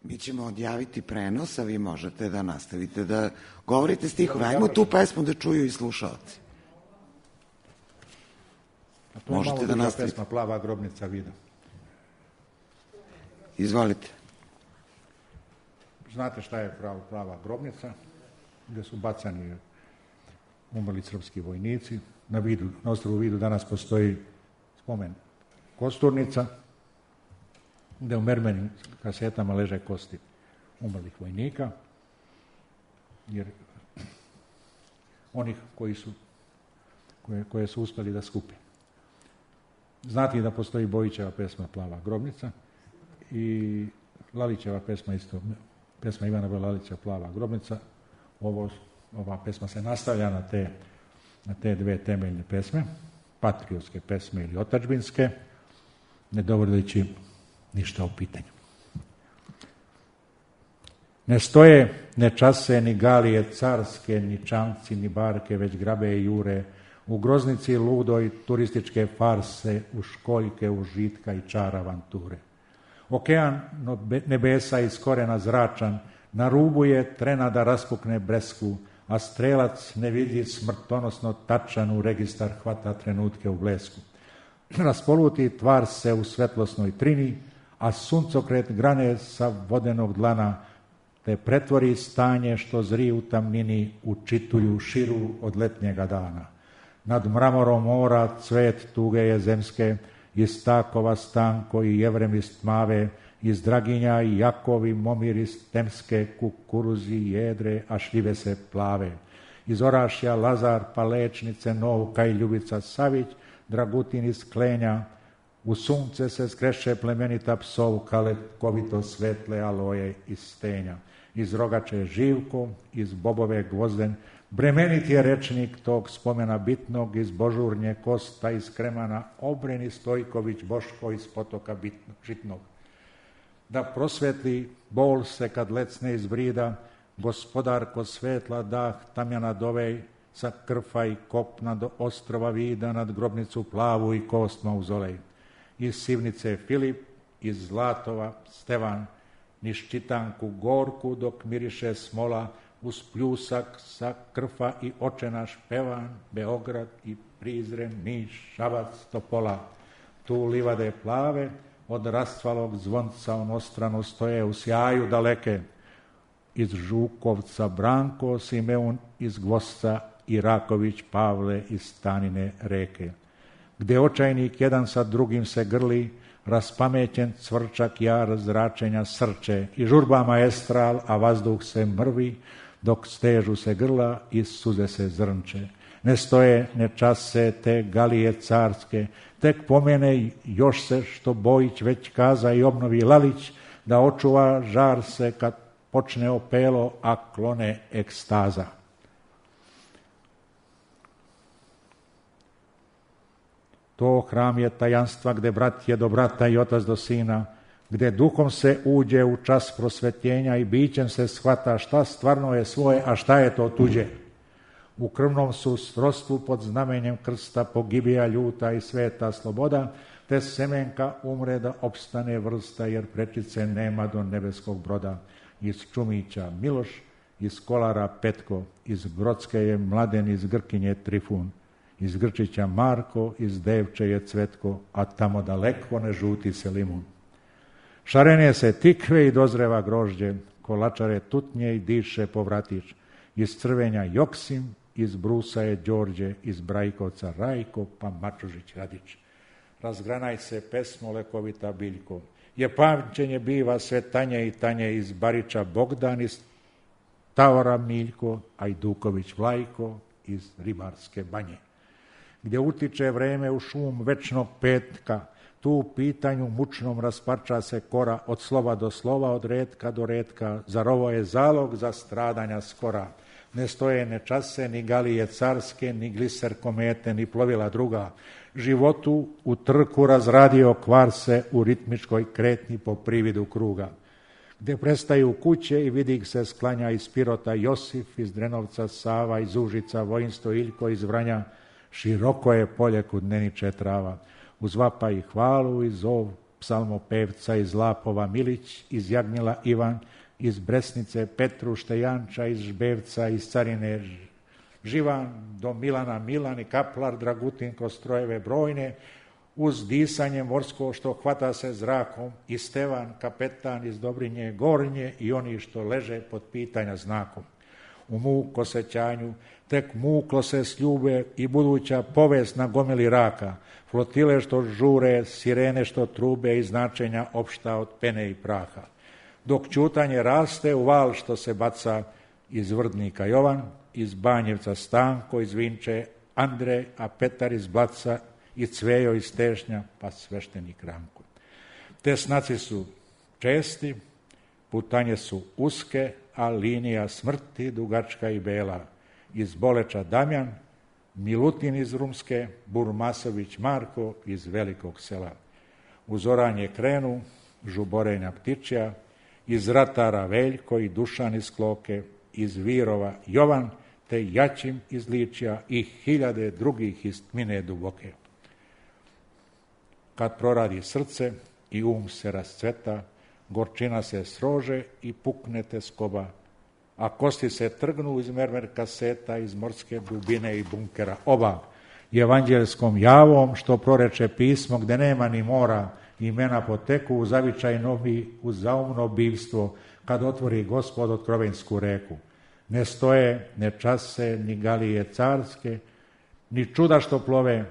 Mi ćemo odjaviti prenos, a vi možete da nastavite da govorite stihove. Ajmo tu pesmu da čuju i slušalci. A to je možete malo da nastavite. Pesma Plava grobnica vida. Izvolite. Znate šta je prava, plava grobnica? Gde su bacani umrli srpski vojnici. Na, vidu, na ostrovu Vidu danas postoji spomen kosturnica, gde u mermenim kasetama leže kosti umrlih vojnika, jer onih koji su, koje, koje su uspeli da skupe. Znate da postoji Bojićeva pesma Plava grobnica i Lalićeva pesma isto, pesma Ivana B. Lalića Plava grobnica. Ovo, ova pesma se nastavlja na te, na te dve temeljne pesme, patriotske pesme ili otadžbinske, ne dovodeći ništa u pitanju. Ne stoje, ne čase, ni galije carske, ni čamci, ni barke, već grabe i jure, u groznici ludoj turističke farse, u školjke, užitka i čara avanture. Okean nebesa iz korena zračan, na rubu je trena da raspukne bresku, a strelac nevidljiv smrtonosno tačan u registar hvata trenutke u blesku. Raspoluti tvar se u svetlosnoj trini, a suncokret grane sa vodenog dlana, te pretvori stanje što zri u tamnini u čituju širu od letnjega dana. Nad mramorom mora cvet tuge je zemske, iz takova stanko i jevremist mave, iz draginja i jakovi momirist temske, kukuruzi jedre, a šljive se plave. Iz orašja Lazar, Palečnice, Novka i Ljubica Savić, Dragutin iz Klenja, u sunce se skreše plemenita psovka, letkovito svetle aloje iz stenja. Iz Rogače Živko, iz Bobove Gvozden, bremenit je rečnik tog spomena bitnog, iz Božurnje Kosta, iz Kremana Obreni Stojković Boško, iz Potoka bitnog, žitnog. Da prosvetli bol se kad lecne iz brida, gospodarko svetla dah tamjana dovej, sa krfa i kopna do ostrova vida, nad grobnicu plavu i kost mauzolej. Iz Sivnice Filip, iz Zlatova Stevan, niz Čitanku gorku dok miriše smola, uz pljusak sa krfa i očenaš pevan, Beograd i Prizren, Niš, Šabac, Topola. Tu livade plave, od rastvalog zvonca onostrano stoje u sjaju daleke. Iz Žukovca Branko, Simeun iz Gvosca i Raković Pavle iz Stanine reke. Gde očajnik jedan sa drugim se grli, raspamećen cvrčak jar zračenja srče i žurba maestral, a vazduh se mrvi, dok stežu se grla i suze se zrnče. Ne stoje, ne čase te galije carske, tek pomene još se što Bojić već kaza i obnovi Lalić, da očuva žar se kad počne opelo, a klone ekstaza. To hram je tajanstva gde brat je do brata i otac do sina, gde duhom se uđe u čas prosvetljenja i bićem se shvata šta stvarno je svoje, a šta je to tuđe. U krvnom su srodstvu pod znamenjem krsta pogibija ljuta i sveta sloboda, te semenka umre da opstane vrsta, jer prečice nema do nebeskog broda. Iz Čumića Miloš, iz Kolara Petko, iz Brodske je Mladen, iz Grkinje Trifun, iz Grčića Marko, iz Devče je Cvetko, a tamo daleko ne žuti se limun. Šarene se tikve i dozreva grožđe, kolačare tutnje i diše povratić. Iz Crvenja Joksim, iz Brusa je Đorđe, iz Brajkovca Rajko, pa Mačužić Radić. Razgranaj se pesmo lekovita biljko, je pamćenje biva sve tanje i tanje, iz Bariča Bogdan, iz Tavora Miljko, Ajduković Vlajko, iz Ribarske banje. Gdje utiče vreme u šum večnog petka, tu u pitanju mučnom rasparča se kora, od slova do slova, od retka do retka, zar ovo je zalog za stradanja skora. Ne stoje, ne čase, ni galije carske, ni gliser komete, ni plovila druga. Životu u trku razradio kvar se u ritmičkoj kretnji po prividu kruga. Gde prestaju kuće i vidi se sklanja iz Pirota Josif, iz Drenovca Sava, iz Užica Vojinsto Iljko, iz Vranja. Široko je polje kud neniče trava, uz vapa i hvalu, iz zov psalmopevca, iz Lapova Milić, iz Jagnjela Ivan, iz Bresnice Petru Štejanča, iz Žbevca, iz Carine Živan, do Milana Milan i Kaplar Dragutin kroz strojeve brojne, uz disanje morsko što hvata se zrakom, i Stevan kapetan iz Dobrinje Gornje i oni što leže pod pitanja znakom. U muk osjećanju tek muklo se sljube i buduća povest na gomili raka, flotile što žure, sirene što trube i značenja opšta od pene i praha. Dok ćutanje raste u val što se baca iz Vrdnika Jovan, iz Banjevca Stanko, iz Vinče Andrej, a Petar iz Blaca i Cvejo iz Tešnja, pa sveštenik Ranko. Te snaci su česti, putanje su uske, a linija smrti dugačka i bela. Iz Boleča Damjan, Milutin iz Rumske, Burmasović Marko iz Velikog sela. Uz oranje krenu, žuborenja ptičja, iz Ratara Veljko i Dušan iz Kloke, iz Virova Jovan, te Jačim iz Ličja i hiljade drugih iz tmine duboke. Kad proradi srce i um se rascveta, gorčina se srože i pukne te skoba, a kosti se trgnu iz mermer kaseta, iz morske dubine i bunkera oba. I evanđelskom javom, što proreče pismo, gde nema ni mora, imena poteku u zavičaj novi, u zaumno bivstvo, kad otvori Gospod otkrovensku reku. Ne stoje, ne čase, ni galije carske, ni čuda što plove,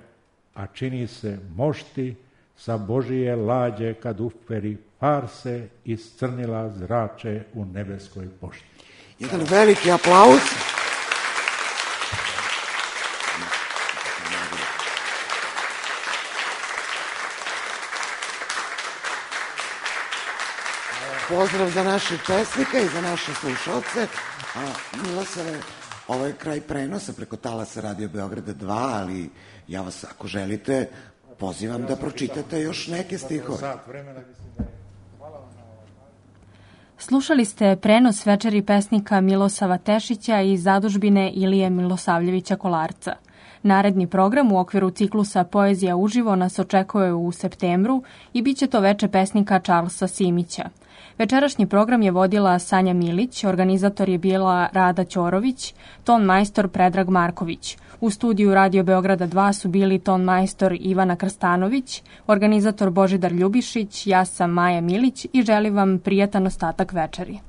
a čini se mošti sa Božije lađe kad uferi farse iscrnila zrače u nebeskoj pošti. Jedan veliki aplauz. Pozdrav za naših pesnika i za naše slušalce. A, Milosave, ovo je kraj prenosa preko talasa Radio Beograda dva, ali ja vas, ako želite, pozivam da pročitate još neke stihove. Slušali ste prenos večeri pesnika Milosava Tešića i zadužbine Ilije Milosavljevića Kolarca. Naredni program u okviru ciklusa Poezija uživo nas očekuje u septembru i bit će to veče pesnika Charlesa Simića. Večerašnji program je vodila Sanja Milić, organizator je bila Rada Ćorović, ton majstor Predrag Marković. U studiju Radio Beograda dva su bili ton majstor Ivana Krstanović, organizator Božidar Ljubišić, ja sam Maja Milić i želim vam prijatan ostatak večeri.